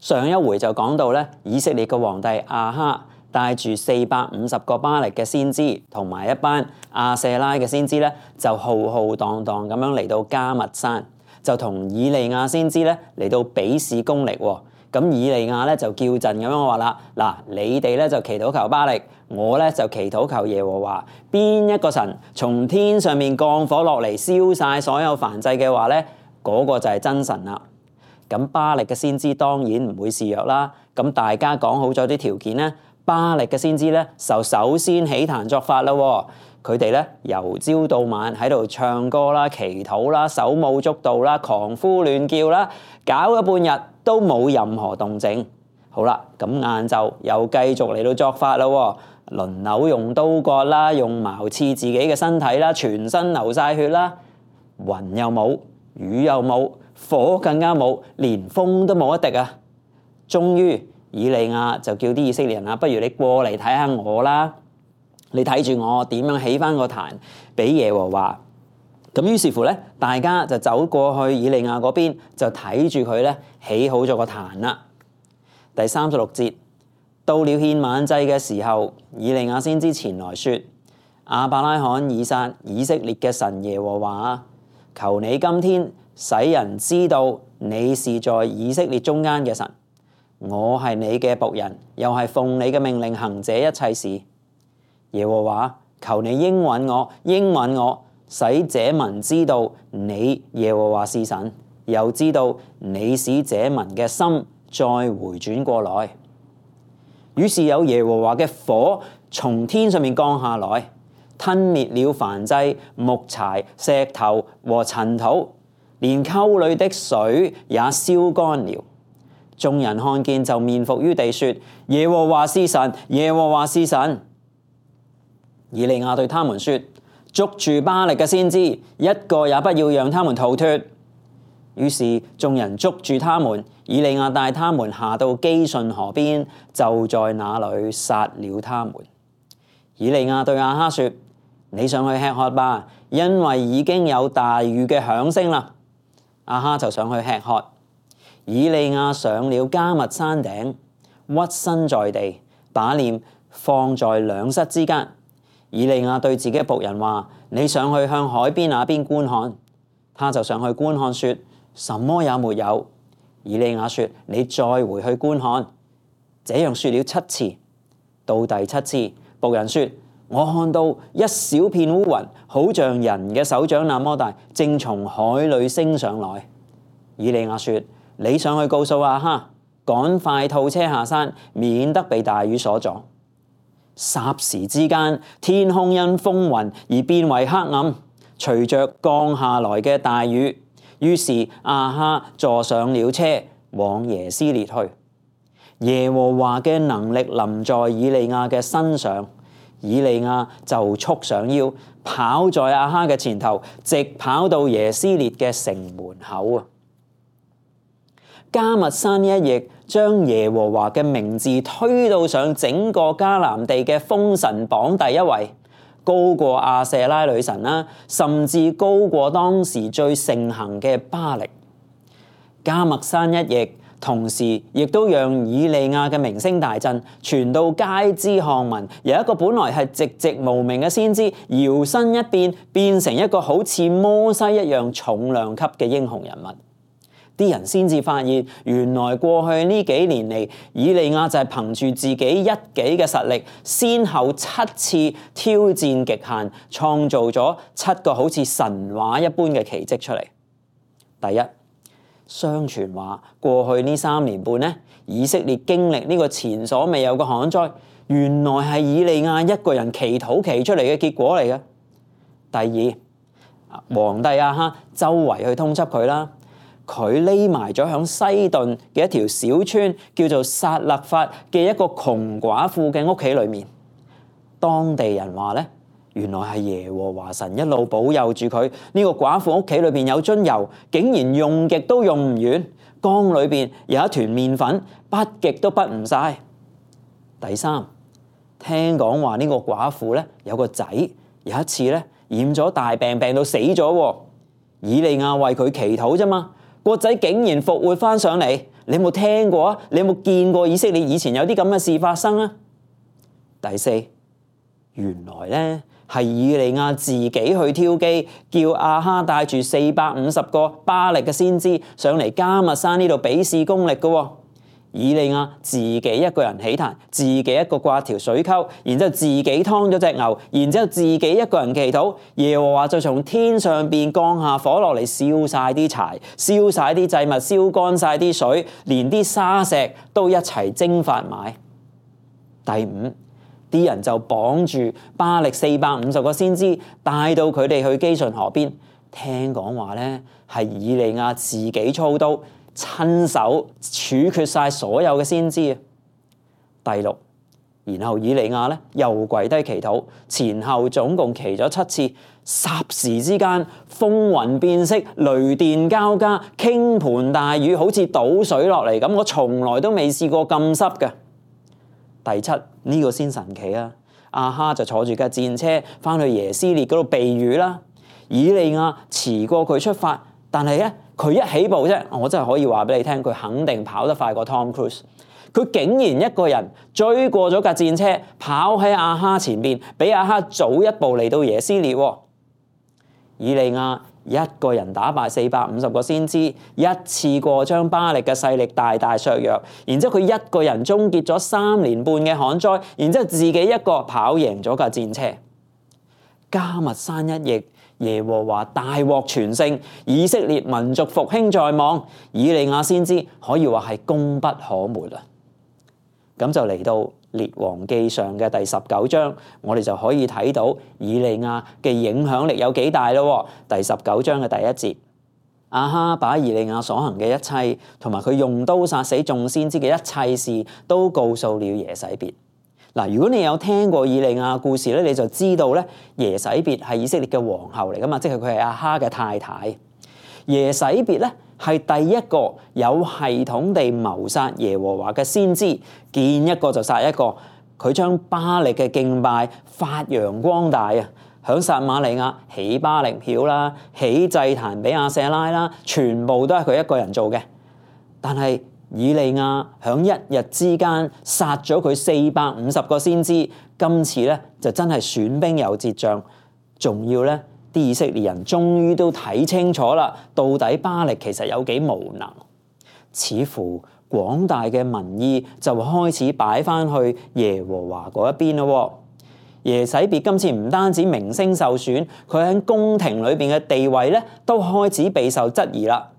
上一回就講到咧，以色列嘅皇帝亞哈帶住450個巴力嘅先知同埋一班亞舍拉嘅先知咧，就浩浩蕩蕩咁樣嚟到迦密山，就同以利亞先知咧嚟到比試功力喎。咁以利亞咧就叫陣咁樣話啦，嗱，你哋咧就祈禱求巴力，我咧就祈禱求耶和華，邊一個神從天上面降火落嚟燒晒所有燔祭嘅話咧，嗰個就係真神啦。咁巴力嘅先知當然唔會示弱啦。咁大家講好咗啲條件咧，巴力嘅先知咧就首先起壇作法啦。佢哋咧由朝到晚喺度唱歌啦、祈禱啦、手舞足蹈啦、狂呼亂叫啦，搞咗半日都冇任何動靜。好啦，咁晏晝又繼續嚟到作法啦，輪流用刀割啦，用矛刺自己嘅身體啦，全身流晒血啦，雲又冇，雨又冇，火更加冇，連風都冇一滴啊！終於以利亞就叫啲以色列人啊，不如你過嚟睇下我啦，你睇住我點樣起翻個壇俾耶和華。咁於是乎咧，大家就走過去以利亞嗰邊，就睇住佢咧起好咗個壇啦。第36節，到了獻晚祭嘅時候，以利亞先知前來說：亞伯拉罕、以撒、以色列嘅神耶和華啊，求你今天使人知道你是在以色列中間嘅神，我係你嘅僕人，又係奉你嘅命令行這一切事。耶和華，求你應允我，使這民知道你耶和華是神，又知道你使這民嘅心再回轉過來。於是有耶和華嘅火從天上面降下來，吞滅了燔祭、木柴、石頭和塵土，連溝裏的水也燒乾了。眾人看見就面伏於地說：耶和華是神，耶和華是神。以利亞對他們說：捉住巴力嘅先知，一個也不要讓他們逃脫。於是眾人捉住他們，以利亞帶他們下到基順河邊，就在那裏殺了他們。以利亞對亞哈說：你上去吃喝吧，因為已經有大雨嘅響聲啦。亞哈就上去吃喝。以利亞上了迦密山頂，屈身在地，把臉放在兩膝之間。以利亞對自己嘅僕人話：你上去向海邊那邊觀看。他就上去觀看，說：什麼也沒有。以利亞說：你再回去觀看。這樣說了7次。到第7次，僕人說：我看到一小片烏雲，好像人嘅手掌那麼大，正從海裏升上來。以利亞說：你上去告訴亞哈，趕快套車下山，免得被大雨所阻。霎時之間，天空因風雲而變為黑暗，隨着降下來嘅大雨。於是亞哈坐上了車，往耶斯列去。耶和華嘅能力臨在以利亞嘅身上，以利亞就束上腰，跑在亞哈嘅前頭，直跑到耶斯列嘅城門口啊！迦密山一役將耶和華嘅名字推到上整個迦南地嘅封神榜第一位，高過亞舍拉女神啦，甚至高過當時最盛行嘅巴力。迦密山一役同時亦都讓以利亞嘅名聲大振，傳到街知巷聞，由一個本來係寂寂無名嘅先知，搖身一變，變成一個好似摩西一樣重量級嘅英雄人物。啲人先至發現，原來過去呢幾年嚟，以利亞就係憑住自己一己嘅實力，先後7次挑戰極限，創造咗7個好似神話一般嘅奇蹟出嚟。第一，相傳話過去呢3年半呢，以色列經歷呢個前所未有嘅旱災，原來係以利亞一個人祈禱祈出嚟嘅結果嚟嘅。第二，皇帝亞哈周圍去通緝佢啦。佢匿埋咗響西頓嘅一條小村，叫做撒勒法嘅一個窮寡婦嘅屋企裏面。當地人話咧，原來係耶和華神一路保佑住佢。呢個寡婦屋企裏邊有樽油，竟然用極都用唔完。缸裏邊有一團麵粉，滗極都滗唔晒。第三，聽講話呢個寡婦咧有個仔，有一次咧染咗大病，病到死咗。以利亞為佢祈禱啫嘛。個仔竟然復活翻上嚟，你有冇聽過啊？你有冇見過以色列以前有啲咁嘅事發生啊？第四，原來咧係以利亞自己去挑機，叫亞哈帶住450個巴力嘅先知上嚟迦密山呢度比試功力嘅喎。以利亞自己一個人起壇，自己一個刮條水溝，然之後自己劏咗隻牛，然之後自己一個人祈禱，耶和華就從天上邊降下火落嚟，燒晒啲柴，燒晒啲祭物，燒乾晒啲水，連啲沙石都一齊蒸發埋。第五，啲人就綁住巴力450個先知，帶到佢哋去基順河邊。聽講話咧係以利亞自己操刀，親手處決晒所有嘅先知。第六，然後以利亞咧又跪低祈禱，前後總共祈咗7次，霎時之間風雲變色，雷電交加，傾盆大雨，好似倒水落嚟咁。我從來都未試過咁濕嘅。第七，呢個先神奇啊！亞哈就坐住架戰車翻去耶斯列嗰度避雨啦。以利亞遲過佢出發，但係咧佢一起步啫，我真係可以話俾你聽，佢肯定跑得快過 Tom Cruise。佢竟然一個人追過咗架戰車，跑喺亞哈前邊，比亞哈早一步嚟到耶斯列。以利亞一個人打敗450個先知，一次過將巴力嘅勢力大大削弱。然之後佢一個人終結咗3年半嘅旱災，然之後自己一個跑贏咗架戰車。迦密山一役，耶和華大獲全勝，以色列民族復興在望。以利亞先知可以話係功不可沒啊！咁就嚟到列王記上嘅第19章，我哋就可以睇到以利亞嘅影響力有幾大咯。第19章嘅第1節，亞哈把以利亞所行嘅一切，同埋佢用刀殺死眾先知嘅一切事，都告訴了耶洗別。嗱，如果你有聽過以利亞故事咧，你就知道咧，耶洗別係以色列嘅皇后嚟噶嘛，即係佢係亞哈嘅太太。耶洗別咧係第一個有系統地謀殺耶和華嘅先知，見一個就殺一個。佢將巴力嘅敬拜發揚光大啊！響撒瑪利亞起巴力廟啦，起祭壇俾亞舍拉啦，全部都係佢一個人做嘅。但係以利亞響一日之間殺咗佢450個先知，今次咧就真係損兵有捷將，仲要咧啲以色列人終於都睇清楚啦，到底巴力其實有幾無能。似乎廣大嘅民意就開始擺翻去耶和華嗰一邊咯。耶洗別今次唔單止名聲受損，佢喺宮廷裏邊嘅地位咧都開始備受質疑啦。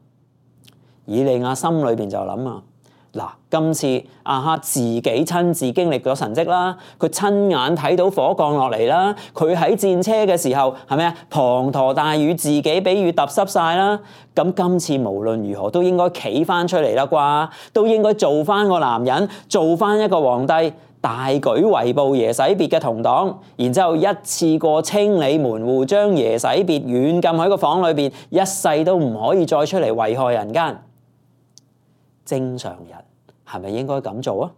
以利亞心裏邊就諗啊，嗱，今次亞哈自己親自經歷咗神蹟啦，佢親眼睇到火降落嚟啦，佢喺戰車嘅時候係咪啊？滂沱大雨，自己俾雨揼濕晒啦。咁今次無論如何都應該企翻出嚟啦啩，都應該做翻個男人，做翻一個皇帝，大舉圍捕耶洗別嘅同黨，然之後一次過清理門戶，將耶洗別軟禁喺個房裏邊，一世都唔可以再出嚟危害人間。正常人係咪應該咁做啊？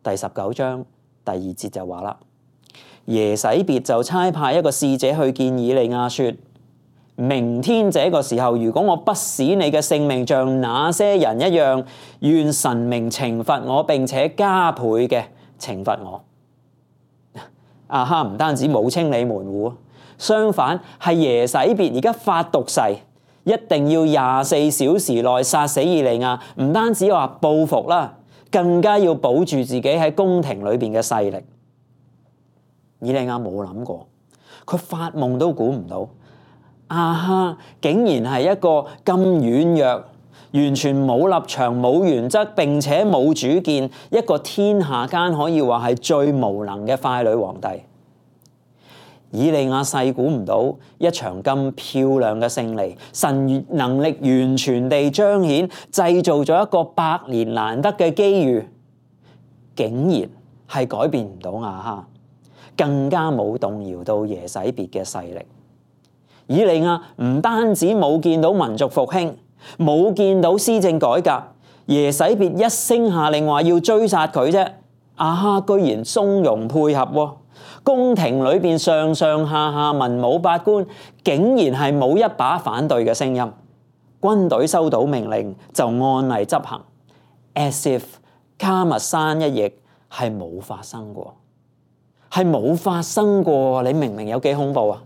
第19章第2節就話啦，耶洗別就差派一個使者去見以利亞，說：明天這個時候，如果我不使你嘅性命像那些人一樣，願神明懲罰我，並且加倍嘅懲罰我。亞哈唔單止冇清理門戶，相反係耶洗別而家發毒誓，一定要24小時內殺死以利亞，唔單止話報復啦，更加要保住自己喺宮廷裏邊嘅勢力。以利亞冇諗過，佢發夢都估唔到，亞哈竟然係一個咁軟弱、完全冇立場、冇原則，並且冇主見，一個天下間可以話係最無能嘅傀儡皇帝。以利亞細估唔到一場咁漂亮嘅勝利，神能力完全地彰顯，製造咗一個100年難得嘅機遇，竟然係改變唔到亞哈，更加冇動搖到耶洗別嘅勢力。以利亞唔單止冇見到民族復興，冇見到施政改革，耶洗別一聲下令話要追殺佢啫，亞哈居然鬆容配合喎。宮廷裏邊上上下下文武百官，竟然係冇一把反對嘅聲音。軍隊收到命令就按例執行，as if 迦密山一役係冇發生過，係冇發生過。你明唔明有幾恐怖啊？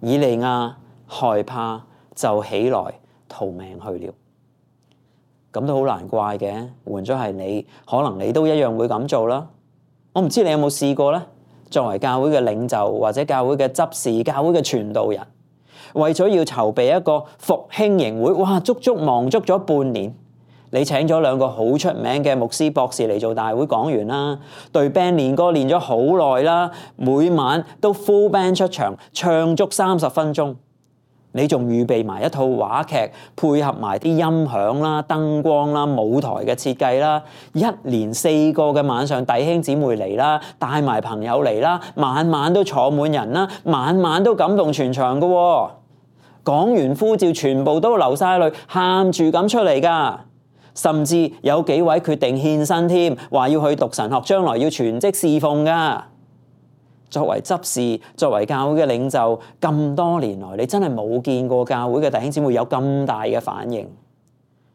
以利亞害怕就起來逃命去了。咁都好難怪嘅，換咗係你，可能你都一樣會咁做啦。我唔知你有冇試過呢？作為教會嘅領袖或者教會嘅執事、教會嘅傳道人，為咗要籌備一個復興營會，哇，足足忙足咗半年。你請咗2個好出名嘅牧師博士嚟做大會講員啦，對 band 練歌練咗好耐啦，每晚都 full band 出場，唱足30分鐘。你仲預備埋一套話劇，配合埋啲音響啦、燈光啦、舞台嘅設計啦，一連4個嘅晚上，弟兄姊妹嚟啦，帶埋朋友嚟啦，晚晚都坐滿人啦，晚晚都感動全場㗎喎。講完呼召，全部都流晒淚，喊住咁出嚟㗎。甚至有幾位決定獻身添，話要去讀神學，將來要全職侍奉㗎。作為執事，作為教會嘅領袖，咁多年來，你真係冇見過教會嘅弟兄姊妹有咁大嘅反應。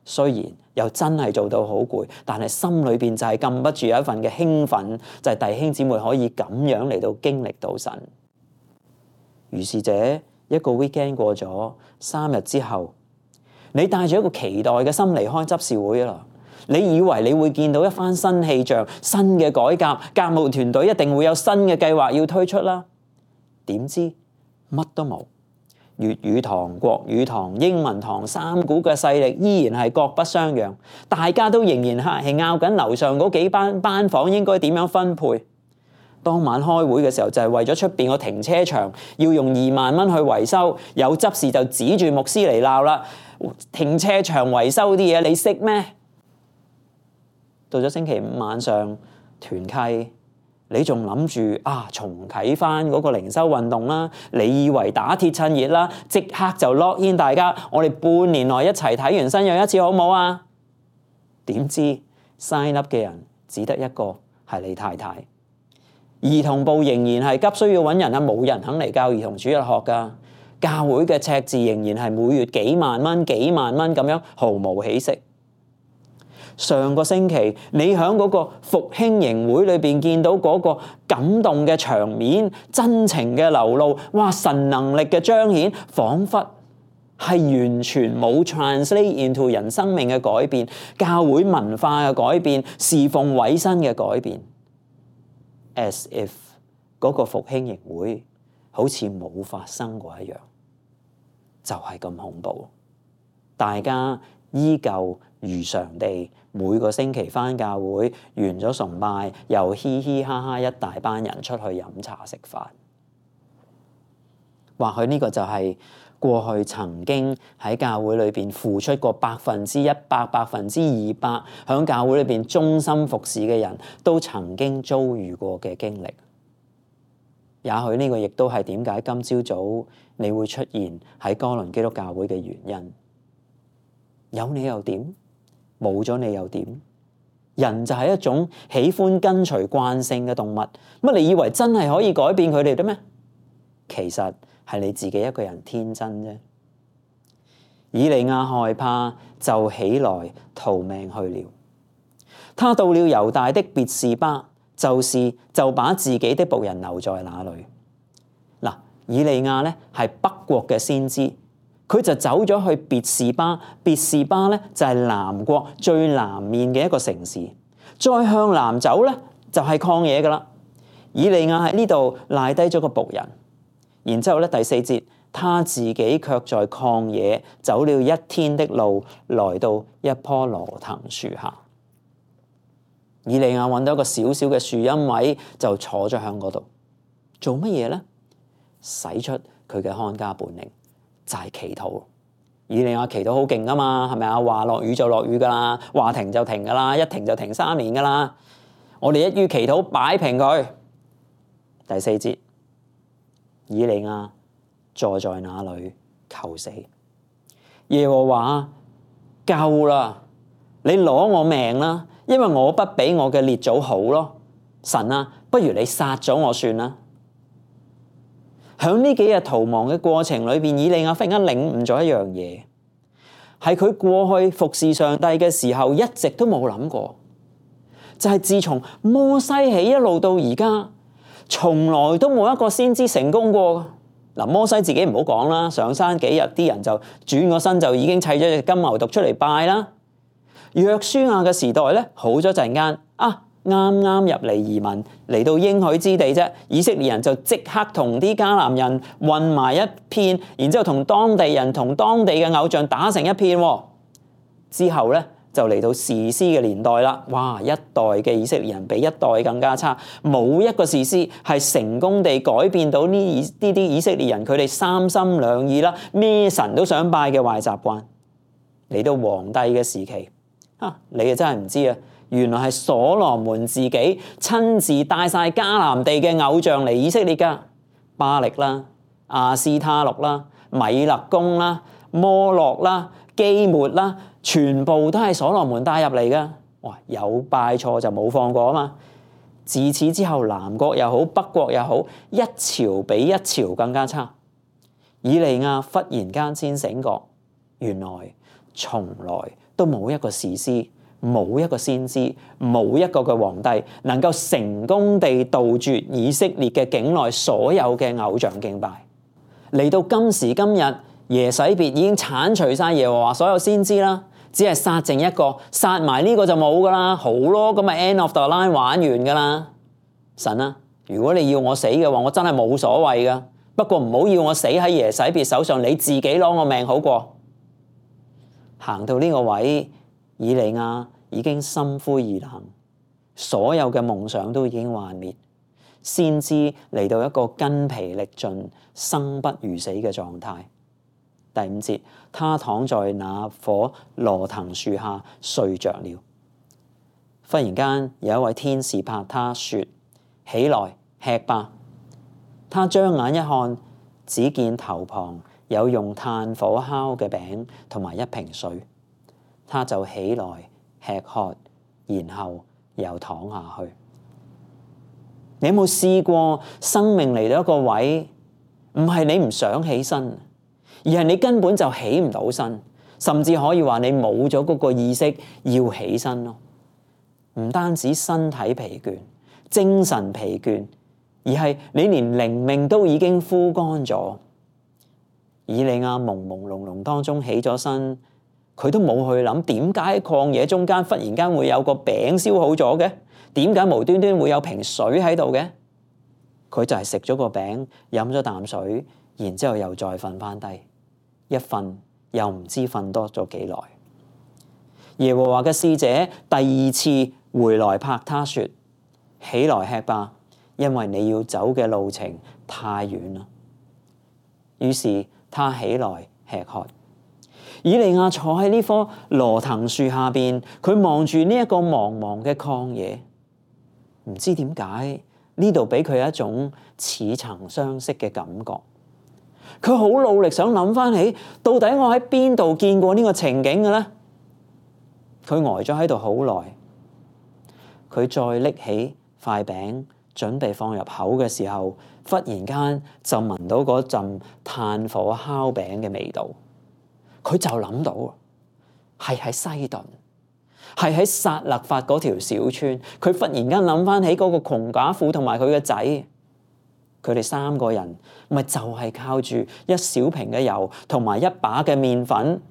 雖然又真係做到好攰，但係心裏邊就係禁不住有一份嘅興奮，就係弟兄姊妹可以咁樣嚟到經歷到神。於是者一個 weekend 過咗，3日之後，你帶住一個期待嘅心離開執事會啦。你以為你會見到一番新氣象、新嘅改革，教務團隊一定會有新嘅計劃要推出啦。點知乜都冇，粵語堂、國語堂、英文堂3股嘅勢力依然係各不相讓，大家都仍然係拗緊樓上嗰幾班房應該點樣分配。當晚開會嘅時候就係為咗出邊個停車場要用2萬蚊去維修，有執事就指住牧師嚟鬧啦。停車場維修啲嘢你識咩？到咗星期5晚上團契，你仲諗住重啟翻嗰個靈修運動啦？你以為打鐵趁熱啦，即刻就 lock in 大家，我哋半年內一齊睇完新約一次好唔好啊？點知 sign up 嘅人只得一個，係你太太。兒童部仍然係急需要揾人啊，冇人肯嚟教兒童主日學噶。教會嘅赤字仍然係每月幾萬蚊咁樣，毫無起色。上個星期你喺嗰個復興營會裏邊見到嗰個感動嘅場面、真情嘅流露，哇！神能力嘅彰顯，彷彿係完全冇 translate into 人生命嘅改變、教會文化嘅改變、侍奉委身嘅改變。As if 嗰個復興營會好似冇發生過一樣，就係咁恐怖。大家依舊如常地每個星期返教會，完咗崇拜又嘻嘻哈哈一大班人出去飲茶食飯。或許呢個就係過去曾經喺教會裏邊付出過100%、200%喺教會裏邊忠心服侍嘅人都曾經遭遇過嘅經歷。也許呢個亦都係點解今朝早你會出現喺哥倫基督教會嘅原因。有你又點？冇咗你又點？人就係一種喜歡跟隨慣性嘅動物，乜你以為真係可以改變佢哋嘅咩？其實係你自己一個人天真啫。以利亞害怕就起來逃命去了。他到了猶大的別是巴，就把自己的僕人留在那裏。嗱，以利亞咧係北國嘅先知。佢就走咗去別是巴，別是巴咧就係南國最南面嘅一個城市。再向南走咧就係曠野噶啦。以利亞喺呢度賴低咗個僕人，然之後咧第4節，他自己卻在曠野走了1天的路，來到一棵羅藤樹下。以利亞揾到一個小小嘅樹蔭位，就坐咗喺嗰度，做乜嘢咧？使出佢嘅看家本領。就係祈禱。以利亞祈禱好勁噶嘛，係咪啊？話落雨就落雨噶啦，話停就停噶啦，一停就停3年噶啦。我哋一於祈禱擺平佢。第4節，以利亞坐在那裏求死。耶和華，夠啦，你攞我命啦，因為我不比我嘅列祖好咯。神啊，不如你殺咗我算啦。喺呢幾日逃亡嘅過程裏邊，以利亞忽然間領悟咗一樣嘢，係佢過去服侍上帝嘅時候一直都冇諗過，就係自從摩西起一路到而家，從來都冇一個先知成功過。嗱，摩西自己唔好講啦，上山幾日啲人就轉個身就已經砌咗隻金牛犢出嚟拜啦。約書亞嘅時代咧，好咗陣間啱啱入嚟移民嚟到應許之地啫，以色列人就即刻同啲迦南人混埋一片，然之後同當地人同當地嘅偶像打成一片。之後咧就嚟到士師嘅年代啦，哇！一代嘅以色列人比一代更加差，冇一個士師係成功地改變到呢啲以色列人佢哋三心兩意啦，咩神都想拜嘅壞習慣。嚟到皇帝嘅時期，你啊真係唔知啊！原來係所羅門自己親自帶晒迦南地嘅偶像嚟以色列噶，巴力啦、亞斯他錄啦、米勒公啦、摩洛啦、基抹啦，全部都係所羅門帶入嚟噶。哇！有拜錯就冇放過啊嘛！自此之後，南國又好，北國又好，一朝比一朝更加差。以利亞忽然間先醒覺，原來從來都冇一個士師，冇一個先知，冇一個嘅皇帝能夠成功地杜絕以色列嘅境內所有嘅偶像敬拜。嚟到今時今日，耶洗別已經剷除晒耶和華所有先知啦，只係殺剩一個，殺埋呢個就冇噶啦，好咯，咁咪 end of the line 玩完噶啦。神啊，如果你要我死嘅話，我真係冇所謂噶，不過唔好要我死喺耶洗別手上，你自己攞我命好過。行到呢個位，以利亞已經心灰意冷，所有嘅夢想都已經幻滅，先知嚟到一個筋疲力盡、生不如死嘅狀態。第5節，他躺在那棵羅藤樹下睡着了。忽然間有一位天使拍他說：起來，吃吧。他張眼一看，只見頭旁有用炭火烤嘅餅同埋一瓶水，他就起來吃喝，然後又躺下去。你有冇試過生命嚟到一個位，唔係你唔想起身，而係你根本就起唔到身，甚至可以話你冇咗嗰個意識要起身咯。唔單止身體疲倦、精神疲倦，而係你連靈命都已經枯乾咗。以利亞朦朦朧朧當中起咗身，佢都冇去諗點解喺曠野中間忽然間會有個餅燒好咗嘅，點解無端端會有瓶水喺度嘅？佢就係食咗個餅，飲咗啖水，然之後又再瞓翻低，一瞓又唔知瞓多咗幾耐。耶和華嘅使者第2次回來拍他說：起來吃吧，因為你要走嘅路程太遠啦。於是他起來吃喝。以利亞坐喺呢棵羅藤樹下邊，佢望住呢一個茫茫嘅曠野，唔知點解呢度俾佢一種似曾相識嘅感覺。佢好努力想諗翻起，到底我喺邊度見過呢個情景嘅咧？佢呆咗喺度好耐，佢再拎起塊餅準備放入口嘅時候，忽然間就聞到嗰陣炭火烤餅嘅味道。佢就諗到係喺西頓，係喺撒勒法嗰條小村。佢忽然間諗翻起嗰個窮寡婦同埋佢嘅仔，佢哋3個人咪就係靠住一小瓶嘅油同埋一把嘅麵粉，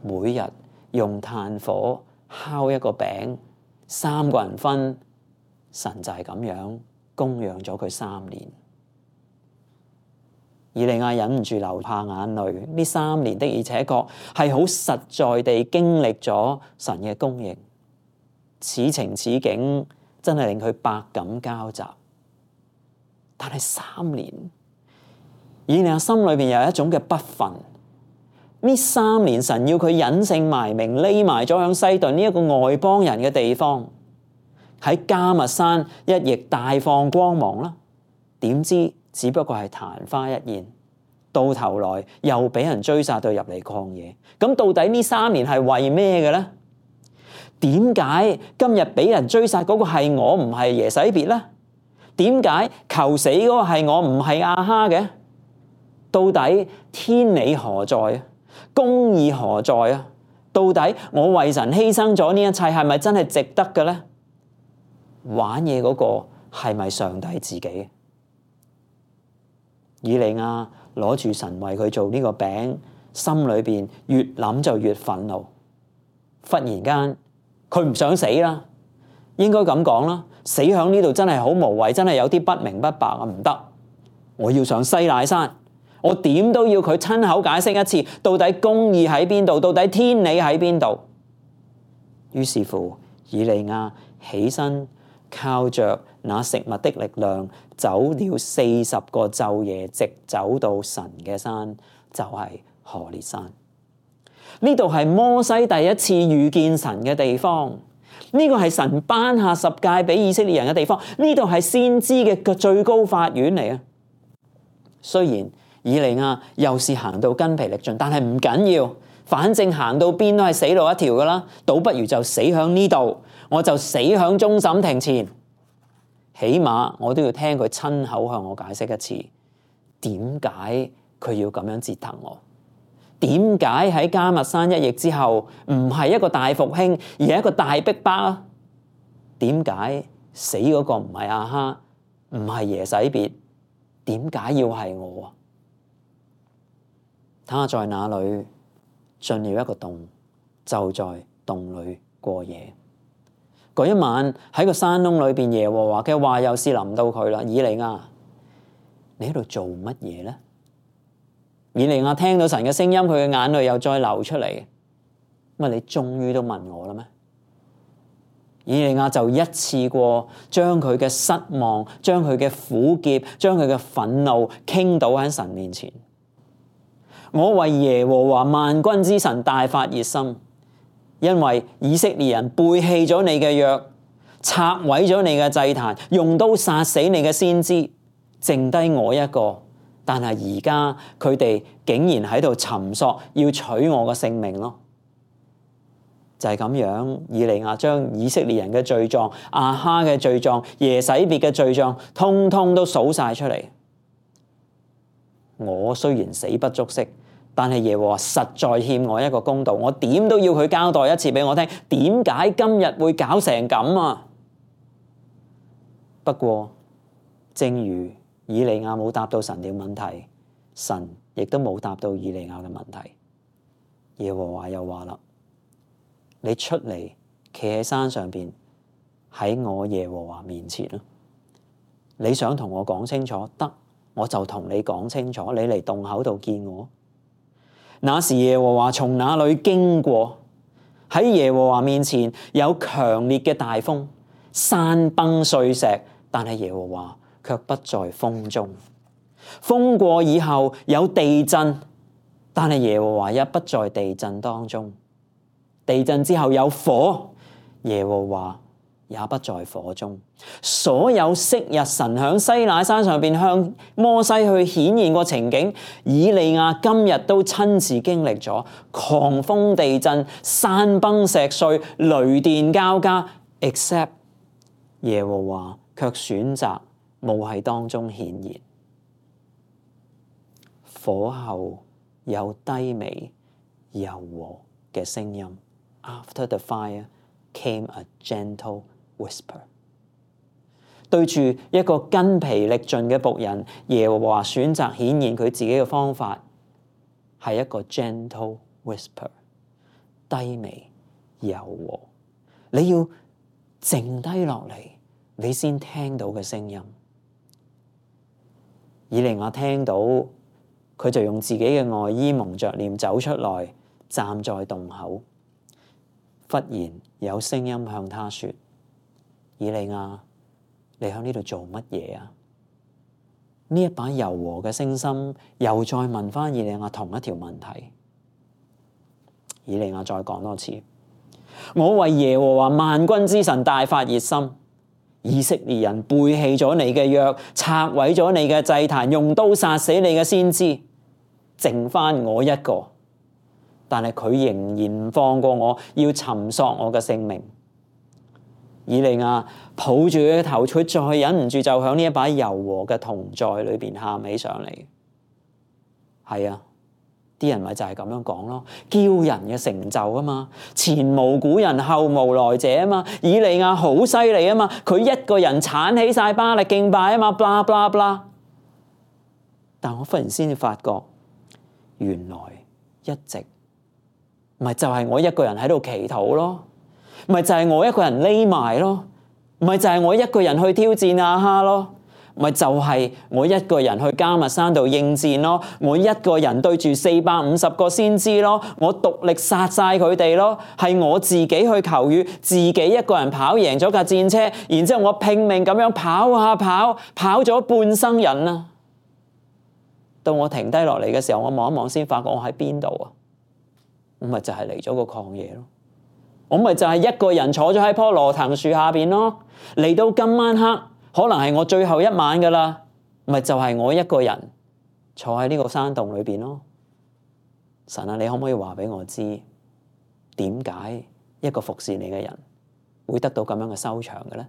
每日用炭火烤一個餅，3個人分。神就係咁樣供養咗佢3年。以利亞忍唔住流下眼淚，呢3年的而且確係好實在地經歷咗神嘅供應，此情此景真係令佢百感交集。但係3年，以利亞心裏邊有一種嘅不忿。呢3年神要佢隱姓埋名，匿埋咗響西頓呢一個外邦人嘅地方，喺迦密山一役大放光芒啦。點知只不過係曇花一現，到頭來又俾人追殺到入嚟曠野。咁到底呢3年係為咩嘅咧？點解今日俾人追殺嗰個係我，唔係耶洗別咧？點解求死嗰個係我，唔係亞哈嘅？到底天理何在？公義何在啊？到底我為神犧牲咗呢一切係咪真係值得嘅呢？玩嘢嗰個係咪上帝自己？以利亞攞住神為佢做呢個餅，心裏邊越諗就越憤怒。忽然間佢唔想死啦，應該咁講啦，死響呢度真係好無謂，真係有啲不明不白啊！唔得，我要上西乃山，我點都要佢親口解釋一次，到底公義喺邊度，到底天理喺邊度。於是乎，以利亞起身，靠着那食物的力量，走了40個晝夜，直走到神嘅山，就係何烈山。呢度係摩西第一次遇見神嘅地方，呢個係神頒下十誡俾以色列人嘅地方，呢度係先知嘅最高法院嚟啊！雖然以利亞又是行到筋疲力盡，但係唔緊要，反正行到邊都係死路一條噶啦，倒不如就死響呢度，我就死響終審庭前，起碼我都要聽佢親口向我解釋一次，點解佢要咁樣折騰我？點解喺迦密山一役之後唔係一個大復興，而係一個大逼迫啊？點解死嗰個唔係亞哈，唔係耶洗別？點解要係我啊？他在那裏進了一個洞，就在洞裏過夜。嗰一晚喺個山窿裏邊，耶和華嘅話又是臨到佢啦。以利亞，你喺度做乜嘢呢？以利亞聽到神嘅聲音，佢嘅眼淚又再流出嚟。咁啊，你終於都問我啦咩？以利亞就一次過將佢嘅失望、將佢嘅苦澀、將佢嘅憤怒傾倒喺神面前。我為耶和華萬軍之神大發熱心，因為以色列人背棄咗你嘅約，拆毀咗你嘅祭壇，用刀殺死你嘅先知，剩低我一個。但係而家佢哋竟然喺度尋索，要取我嘅性命咯。就係咁樣，以利亞將以色列人嘅罪狀、亞哈嘅罪狀、耶洗別嘅罪狀，通通都數晒出嚟。我雖然死不足惜，但係耶和華實在欠我一個公道，我點都要佢交代一次俾我聽，點解今日會搞成咁啊？不過，正如以利亞冇答到神嘅問題，神亦都冇答到以利亞嘅問題。耶和華又話啦：你出嚟，企喺山上邊，喺我耶和華面前啦。你想同我講清楚，得，我就同你講清楚。你嚟洞口度見我。那時耶和華從那裏經過，喺耶和華面前有強烈嘅大風，山崩碎石，但係耶和華卻不在風中。風過以後有地震，但係耶和華也不在地震當中。地震之後有火，耶和華也不在火中。所有昔日神響西乃山上邊向摩西去顯現過情景，以利亞今日都親自經歷咗狂風地震、山崩石碎、雷電交加 ，except 耶和華卻選擇冇喺當中顯現。火後有低微柔和嘅聲音。After the fire came a gentle whisper。對住一個筋疲力盡嘅僕人，耶和華選擇顯現佢自己嘅方法，係一個 gentle whisper， 低微柔和。你要靜低落嚟，你先聽到嘅聲音。以利亞聽到，佢就用自己嘅外衣蒙着臉走出來，站在洞口。忽然有聲音向他說：以利亞，你喺呢度做乜嘢啊？呢一把柔和嘅聲音又再問翻以利亞同一條問題。以利亞再講多次：我為耶和華萬軍之神大發熱心，以色列人背棄咗你嘅約，拆毀咗你嘅祭壇，用刀殺死你嘅先知，剩翻我一個。但係佢仍然唔放過我，要尋索我嘅性命。以利亞抱住佢嘅頭，佢再忍唔住就響呢一把柔和嘅銅在裏邊喊起上嚟。係啊，啲人咪就係咁樣講咯，驕人嘅成就啊嘛，前無古人後無來者啊嘛，以利亞好犀利啊嘛，佢一個人鏟起晒巴力敬拜啊嘛，blah blah blah。但我忽然先至發覺，原來一直咪就係我一個人喺度祈禱咯，咪就係我一個人匿埋咯，咪就係我一個人去挑戰亞哈咯。咪就係我一個人去迦密山度應戰咯，我一個人對住450個先知咯，我獨力殺晒佢哋咯，係我自己去求雨，自己一個人跑贏咗架戰車，然之後我拼命咁樣跑啊跑，跑咗半生人啊！到我停低落嚟嘅時候，我望一望先發覺我喺邊度啊？我咪就係嚟咗個曠野咯，我咪就係一個人坐咗喺棵羅藤樹下邊咯，嚟到今晚黑。可能係我最後一晚噶啦，咪就係我一個人坐喺呢個山洞裏邊咯。神啊，你可唔可以話俾我知，點解一個服侍你嘅人會得到咁樣嘅收場嘅咧？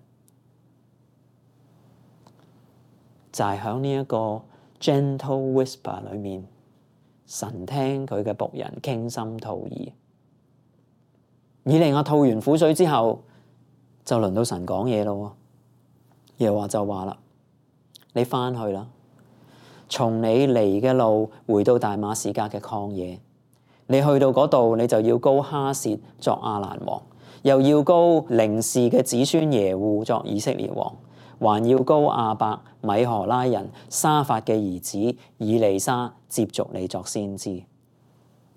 就係喺呢一個 gentle whisper 裏面，神聽佢嘅僕人傾心吐意。以利亞吐完苦水之後，就輪到神講嘢咯。耶和華就話啦，你翻去啦，從你嚟嘅路回到大馬士革嘅曠野，你去到嗰度，你就要膏哈薛作亞蘭王，又要膏寧示嘅子孫耶戶作以色列王，還要膏亞伯米何拉人沙法嘅兒子以利沙接續你作先知。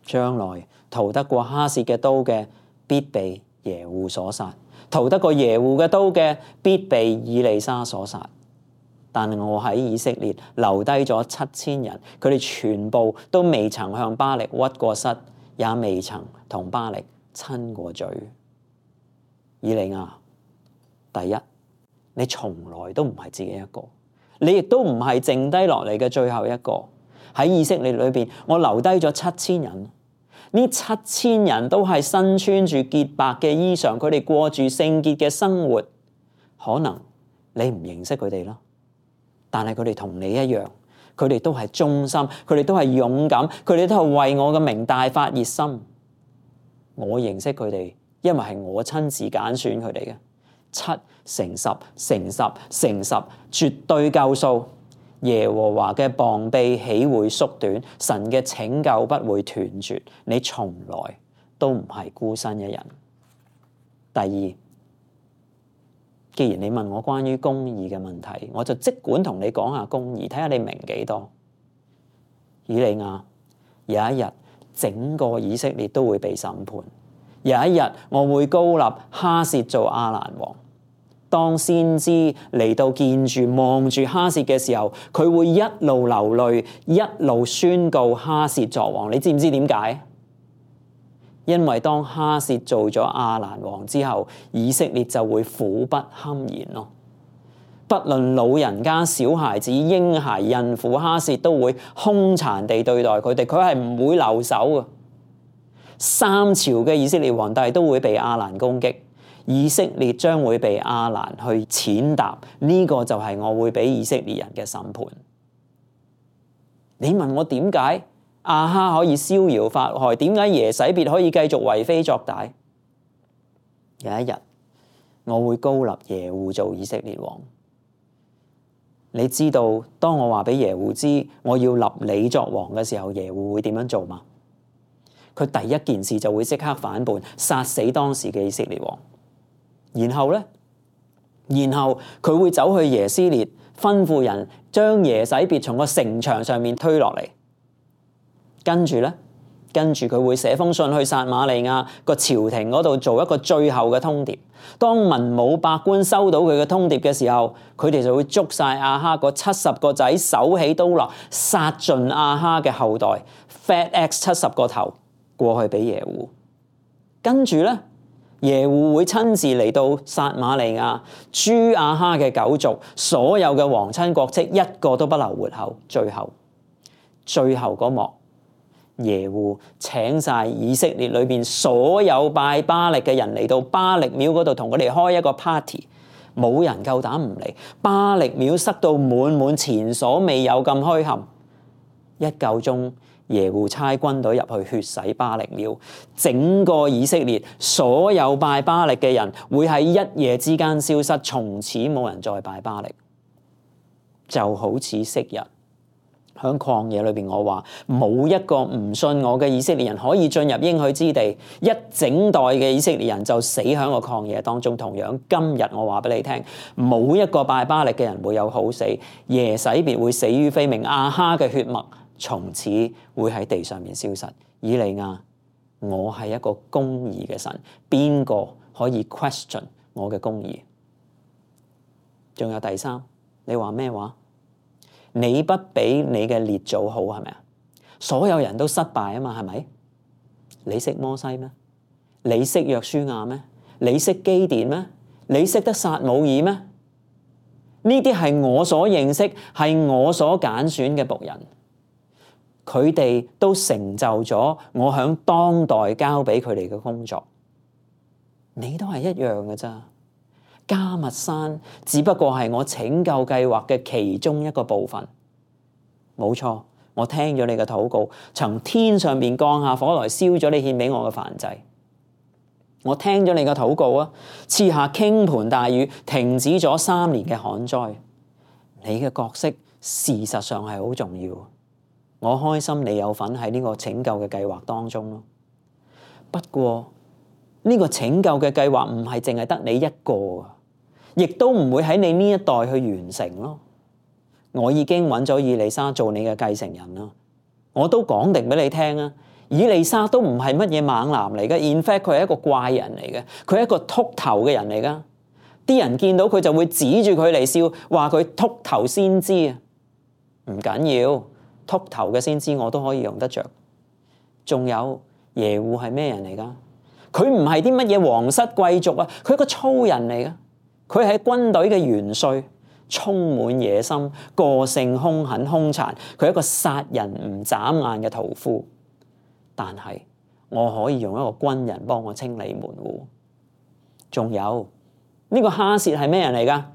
將來逃得過哈薛嘅刀嘅，必被耶戶所殺。逃得過耶戶嘅刀嘅，必被以利沙所殺。但我喺以色列留低咗7000人，佢哋全部都未曾向巴力屈過膝，也未曾同巴力親過嘴。以利亞，第一，你從來都唔係自己一個，你亦都唔係剩低落嚟嘅最後一個。喺以色列裏邊，我留低咗7000人。呢7000人都係身穿住潔白嘅衣裳，佢哋過住聖潔嘅生活。可能你唔認識佢哋啦，但係佢哋同你一樣，佢哋都係忠心，佢哋都係勇敢，佢哋都係為我嘅名大發熱心。我認識佢哋，因為係我親自揀選佢哋嘅。7乘10乘10乘10，絕對夠數。耶和華嘅膀臂豈會縮短？神嘅拯救不會斷絕。你從來都唔係孤身一人。第二，既然你問我關於公義嘅問題，我就即管同你講下公義，睇下你明幾多。以利亞，有一日整個以色列都會被審判。有一日我會膏立哈薛做亞蘭王。當先知嚟到見住望住哈薛嘅時候，佢會一路流淚，一路宣告哈薛作王。你知唔知點解？因為當哈薛做咗亞蘭王之後，以色列就會苦不堪言咯。不論老人家、小孩子、嬰孩、孕婦，哈薛都會兇殘地對待佢哋，佢係唔會留手嘅。3朝嘅以色列皇帝都會被亞蘭攻擊。以色列將會被亞蘭去踐踏，呢個就係我會俾以色列人嘅審判。你問我點解亞哈可以逍遙法外？點解耶洗別可以繼續為非作歹？有一日我會膏立耶戶做以色列王。你知道當我話俾耶戶知我要立你作王嘅時候，耶戶會點樣做嗎？佢第一件事就會即刻反叛，殺死當時嘅以色列王。然後佢會走去耶斯列，吩咐人將耶洗別從個城牆上面推落嚟。跟住佢會寫封信去撒瑪利亞個朝廷嗰度做一個最後嘅通牒。當文武百官收到佢嘅通牒嘅時候，佢哋就會捉晒亞哈嗰70個仔，手起刀落，殺盡亞哈嘅後代 ，Fat X 70個頭過去俾耶戶。跟住咧，耶戶會親自嚟到撒瑪利亞，誅亞哈嘅9族，所有嘅皇親國戚一個都不留活口。最後嗰幕，耶戶請晒以色列裏邊所有拜巴力嘅人嚟到巴力廟嗰度，同佢哋開一個 party， 冇人夠膽唔嚟。巴力廟塞到滿滿，前所未有咁墟冚。一夠鐘，耶戶差軍隊入去血洗巴力廟，整個以色列所有拜巴力嘅人會喺一夜之間消失，從此冇人再拜巴力。就好似昔日喺曠野裏邊，我話冇一個唔信我嘅以色列人可以進入應許之地，一整代嘅以色列人就死喺個曠野當中。同樣今日我話俾你聽，冇一個拜巴力嘅人會有好死，耶洗別會死於非命，亞哈嘅血脈從此會喺地上面消失。以利亞，我係一個公義嘅神，邊個可以 question 我嘅公義？仲有第三，你話咩話？你不比你嘅列祖好，係咪啊？所有人都失敗啊嘛，係咪？你識摩西咩？你識約書亞咩？你識基甸咩？你識得撒母耳咩？呢啲係我所認識，係我所揀選嘅僕人，佢哋都成就咗我響當代交俾佢哋嘅工作。你都係一樣嘅咋？迦密山只不過係我拯救計劃嘅其中一個部分。冇錯，我聽咗你嘅禱告，從天上邊降下火來燒咗你獻俾我嘅燔祭。我聽咗你嘅禱告啊，賜下傾盆大雨，停止咗3年嘅旱災。你嘅角色事實上係好重要。我開心你有份喺呢個拯救嘅計劃當中咯。不過呢個拯救嘅計劃唔係淨係得你一個，亦都唔會喺你呢一代去完成咯。我已經揾咗以利沙做你嘅繼承人啦。我都講定俾你聽啊，以利沙都唔係乜嘢猛男嚟嘅。In fact，佢係一個怪人嚟嘅，佢係一個禿頭嘅人嚟噶。啲人見到佢就會指住佢嚟笑，話佢禿頭先知啊。唔緊要，禿頭嘅先知我都可以用得着。仲有耶戶係咩人嚟噶？佢唔係啲乜嘢皇室貴族啊，佢係個粗人嚟噶。佢係軍隊嘅元帥，充滿野心，個性兇狠兇殘。佢係一個殺人唔眨眼嘅屠夫。但係我可以用一個軍人幫我清理門戶。仲有呢個哈薛係咩人嚟噶？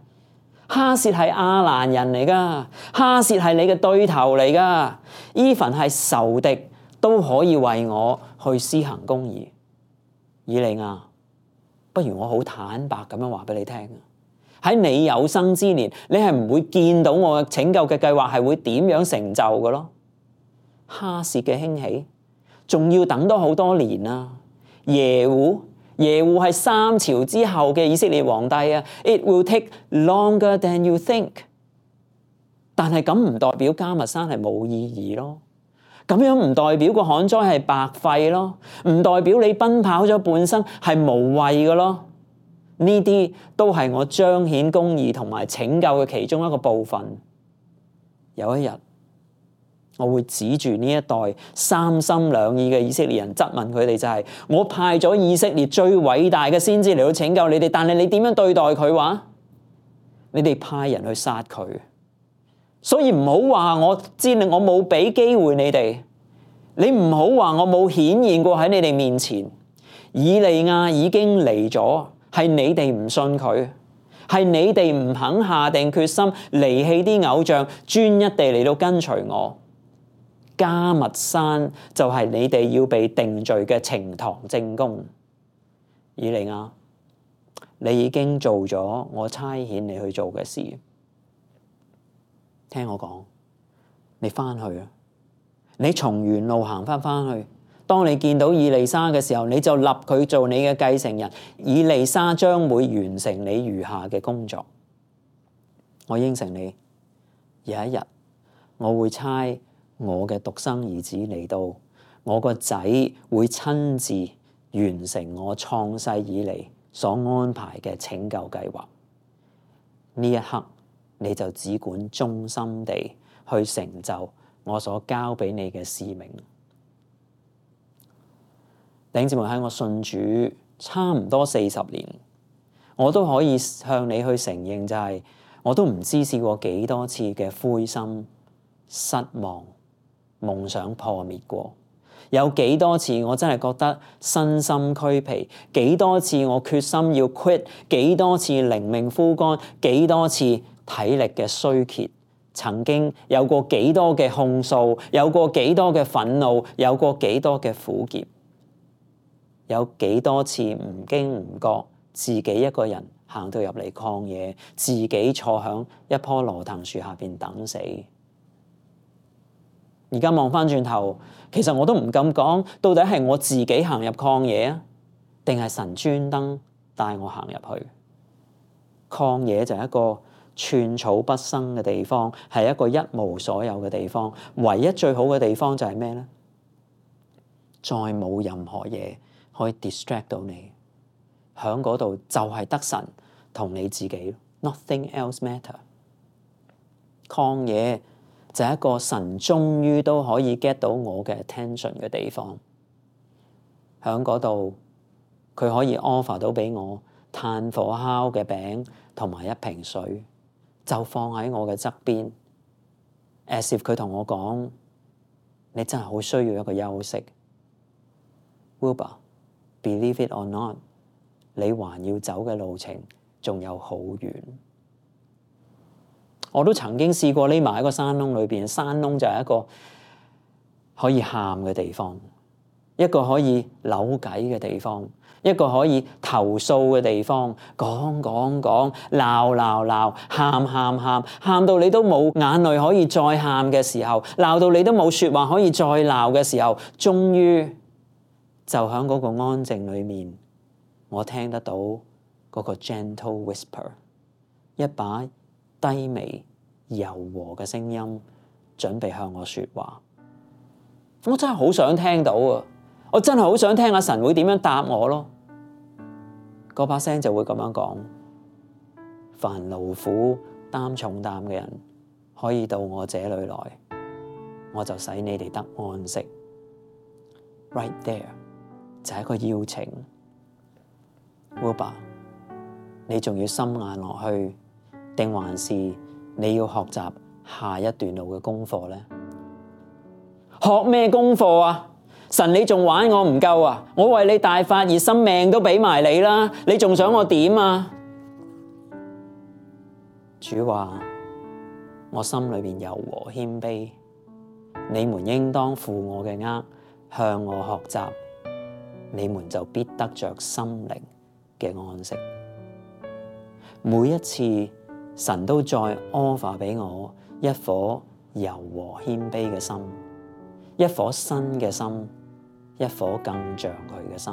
哈薛係亞蘭人嚟噶，哈薛係你嘅對頭嚟噶。even 係仇敵都可以為我去施行公義。以利亞，不如我好坦白咁樣話俾你聽，喺你有生之年，你係唔會見到我嘅拯救嘅計劃係會點樣成就嘅咯。哈薛嘅興起仲要等多好多年啊。耶戶係3朝之後嘅以色列皇帝啊。It will take longer than you think。但係咁唔代表迦密山係冇意義咯。咁樣唔代表個旱災係白費咯，唔代表你奔跑咗半生係無謂嘅咯。呢啲都係我彰顯公義同埋拯救嘅其中一個部分。有一日，我會指住呢一代三心兩意嘅以色列人質問佢哋，就係我派咗以色列最偉大嘅先知嚟到拯救你哋，但係你點樣對待佢話？你哋派人去殺佢。所以唔好話我知我冇俾機會你哋，你唔好話我冇顯現過喺你哋面前。以利亞已經嚟咗，係你哋唔信佢，係你哋唔肯下定決心離棄啲偶像，專一地嚟到跟隨我。迦密山就係你哋要被定罪嘅呈堂證供。以利亞，你已經做咗我差遣你去做嘅事。聽我講，你翻去啊！你從原路行翻去。當你見到以利沙嘅時候，你就立佢做你嘅繼承人。以利沙將會完成你餘下嘅工作。我應承你，有一日我會差我嘅獨生兒子嚟到，我個仔會親自完成我創世以嚟所安排嘅拯救計劃。呢一刻，你就只管忠心地去成就我所交俾你嘅使命。弟兄姊妹，喺我信主差唔多40年，我都可以向你去承認，就係我都唔知試過幾多次嘅灰心、失望、夢想破滅過。有幾多次我真係覺得身心俱疲，幾多次我決心要 quit，幾多次靈命枯乾，幾多次體力嘅衰竭，曾經有過幾多嘅控訴，有過幾多嘅憤怒，有過幾多嘅苦澀，有幾多次唔經唔覺自己一個人行到入嚟曠野，自己坐響一棵羅藤樹下邊等死。而家望翻轉頭，其實我都唔敢講，到底係我自己行入曠野啊，定係神專登帶我行入去？曠野就係一個寸草不生嘅地方，係一個一無所有嘅地方。唯一最好嘅地方就係咩呢？再冇任何嘢可以 distract 到你，喺嗰度就係得神同你自己 ，nothing else matter。曠野就係一個神終於都可以 get 到我嘅 attention 嘅地方，喺嗰度佢可以 offer 到俾我炭火烤嘅餅同埋一瓶水，就放喺我嘅側邊 ，as if 佢同我講：你真係好需要一個休息。Wilbur, believe it or not， 你還要走嘅路程仲有好遠。我都曾經試過匿埋喺個山窿裏邊，山窿就係一個可以喊嘅地方，一個可以扭計嘅地方，一個可以投訴嘅地方，講，鬧，喊到你都冇眼淚可以再喊嘅時候，鬧到你都冇說話可以再鬧嘅時候，終於就喺嗰個安靜裏面，我聽得到嗰個 gentle whisper， 一把低微柔和嘅聲音準備向我說話。我真係好想聽到啊！我真係好想聽阿神會點樣答我咯。嗰把聲就會咁樣講：凡勞苦擔重擔嘅人可以到我這裏來，我就使你哋得安息。Right there 就係一個邀請。Wilbur， 你仲要心硬落去，定還是你要學習下一段路嘅功課呢？學咩功課啊？神，你仲玩我唔夠啊？我為你大發熱心，命都俾埋你啦，你仲想我點啊？主話：我心裏邊柔和謙卑，你們應當負我嘅軛，向我學習，你們就必得着心靈嘅安息。每一次神都再 offer 俾我一顆柔和謙卑嘅心，一顆新嘅心，一顆更像佢嘅心。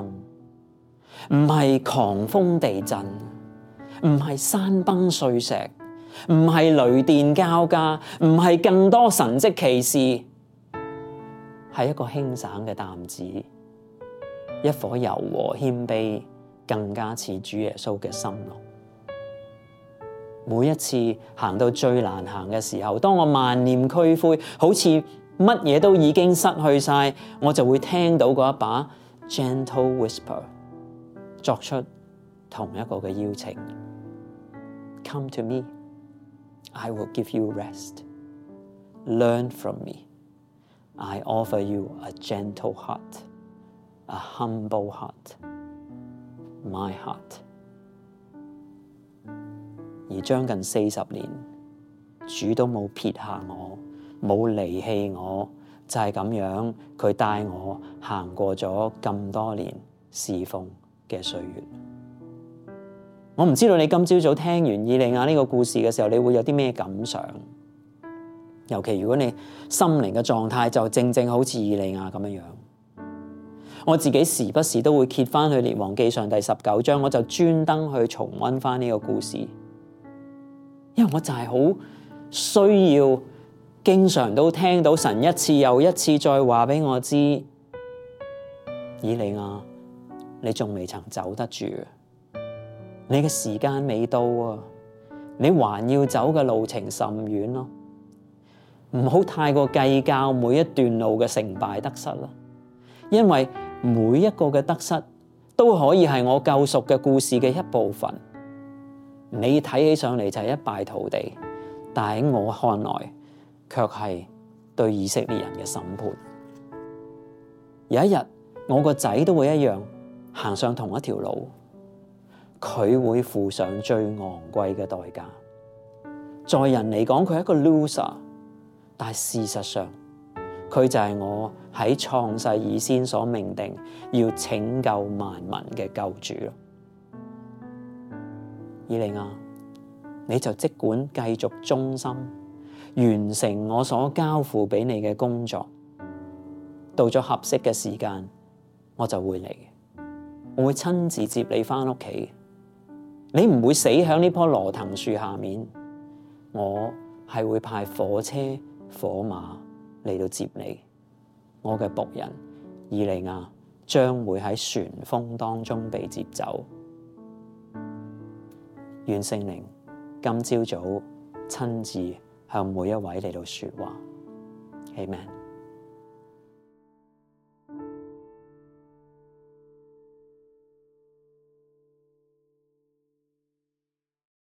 唔係狂風地震，唔係山崩碎石，唔係雷電交加，唔係更多神蹟奇事，係一個輕省嘅擔子，一顆柔和謙卑，更加似主耶穌嘅心咯。每一次行到最難行嘅時候，當我萬念俱灰，好似乜嘢都已經失去晒，我就會聽到嗰一把 gentle whisper 作出同一個嘅邀請。Come to me, I will give you rest. Learn from me. I offer you a gentle heart, a humble heart, my heart. 而將近40年，主都冇撇下我，冇離棄我，就係咁樣，佢帶我行過咗咁多年侍奉嘅歲月。我唔知道你今朝早聽完以利亞呢個故事嘅時候，你會有啲咩感想？尤其如果你心靈嘅狀態就正正好似以利亞咁樣。我自己時不時都會揭翻去列王記上第19章，我就專登去重溫翻呢個故事。因為我就係好需要，經常都聽到神一次又一次再話俾我知，以利亞，你仲未曾走得住，你嘅時間未到啊，你還要走嘅路程甚遠咯，唔好太過計較每一段路嘅成敗得失啦，因為每一個嘅得失都可以係我救贖嘅故事嘅一部分。你睇起上嚟就係一敗塗地，但喺我看來卻係對以色列人嘅審判。有一日我個仔都會一樣行上同一條路，佢會付上最昂貴嘅代價，在人嚟講佢係一個 loser， 但係事實上佢就係我喺創世以先所命定要拯救萬民嘅救主咯。以利亞，你就即管繼續忠心，完成我所交付俾你嘅工作。到咗合適嘅時間，我就會嚟，我會親自接你返屋企。你唔會死喺呢棵羅藤樹下面，我係會派火車火馬嚟到接你。我嘅僕人以利亞將會喺旋風當中被接走。願聖靈今朝早親自向每一位嚟到說話。Amen。